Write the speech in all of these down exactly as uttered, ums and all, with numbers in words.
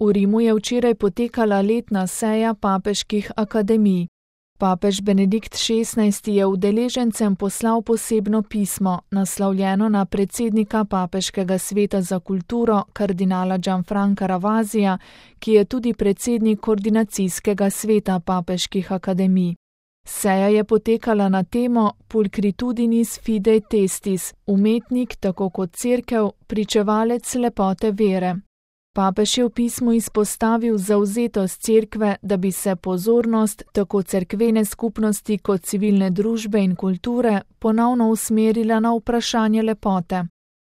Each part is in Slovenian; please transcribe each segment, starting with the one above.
V Rimu je včeraj potekala letna seja papeških akademij. Papež Benedikt šestnajsti je udeležencem poslal posebno pismo, naslovljeno na predsednika Papeškega sveta za kulturo, kardinala Gianfranca Ravasija, ki je tudi predsednik koordinacijskega sveta papeških akademij. Seja je potekala na temo Pulcritudinis fidei testis, umetnik tako kot cerkev, pričevalec lepote vere. Papež je v pismu izpostavil zavzetost cerkve, da bi se pozornost tako cerkvene skupnosti kot civilne družbe in kulture ponovno usmerila na vprašanje lepote.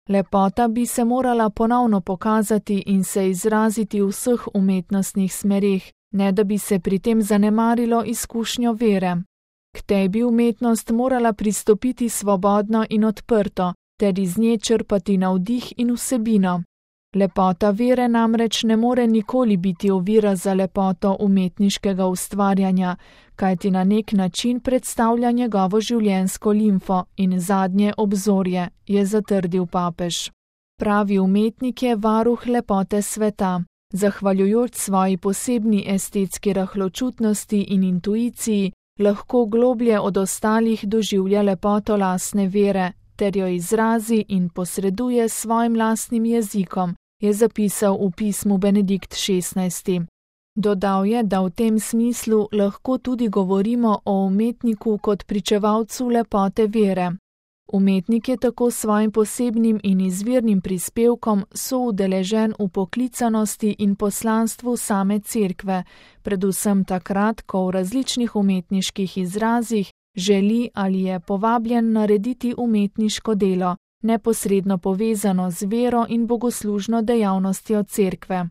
Lepota bi se morala ponovno pokazati in se izraziti v vseh umetnostnih smereh, ne da bi se pri tem zanemarilo izkušnjo vere. K tej bi umetnost morala pristopiti svobodno in odprto, ter iz nje črpati navdih in vsebino. Lepota vere namreč ne more nikoli biti ovira za lepoto umetniškega ustvarjanja, kajti na nek način predstavlja njegovo življenjsko limfo in zadnje obzorje, je zatrdil papež. Pravi umetnik je varuh lepote sveta. Zahvaljujoč svoji posebni estetski rahločutnosti in intuiciji, lahko globlje od ostalih doživlja lepoto lastne vere, ter jo izrazi in posreduje s svojim lastnim jezikom, je zapisal v pismu Benedikt šestnajsti. Dodal je, da v tem smislu lahko tudi govorimo o umetniku kot pričevalcu lepote vere. Umetnik je tako s svojim posebnim in izvirnim prispevkom soudeležen v poklicanosti in poslanstvu same cerkve, predvsem takrat, ko v različnih umetniških izrazih želi ali je povabljen narediti umetniško delo, neposredno povezano z vero in bogoslužno dejavnostjo cerkve.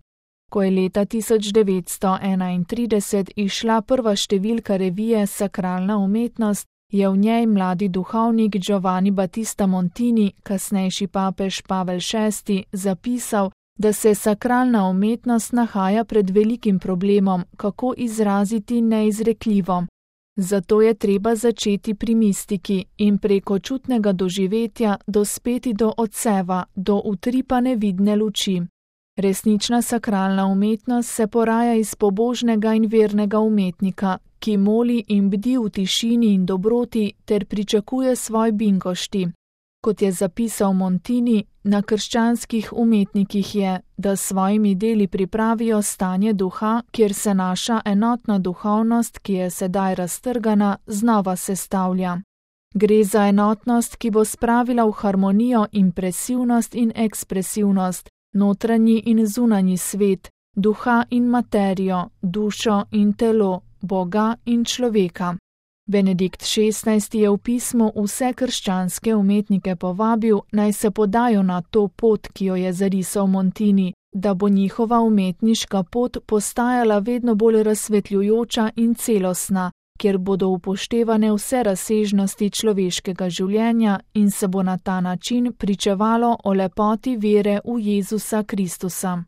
Ko je leta tisoč devetsto enaintrideset izšla prva številka revije Sakralna umetnost, je v njej mladi duhovnik Giovanni Battista Montini, kasnejši papež Pavel šesti, zapisal, da se sakralna umetnost nahaja pred velikim problemom, kako izraziti neizrekljivo. Zato je treba začeti pri mistiki in preko čutnega doživetja dospeti do odseva, do utripa nevidne luči. Resnična sakralna umetnost se poraja iz pobožnega in vernega umetnika, ki moli in bdi v tišini in dobroti ter pričakuje svoj binkošti. Kot je zapisal Montini, na krščanskih umetnikih je, da s svojimi deli pripravijo stanje duha, kjer se naša enotna duhovnost, ki je sedaj raztrgana, znova sestavlja. Gre za enotnost, ki bo spravila v harmonijo impresivnost in ekspresivnost, notranji in zunanji svet, duha in materijo, dušo in telo, Boga in človeka. Benedikt šestnajsti je v pismu vse krščanske umetnike povabil, naj se podajo na to pot, ki jo je zarisal Montini, da bo njihova umetniška pot postajala vedno bolj razsvetljujoča in celostna, kjer bodo upoštevane vse razsežnosti človeškega življenja in se bo na ta način pričevalo o lepoti vere v Jezusa Kristusa.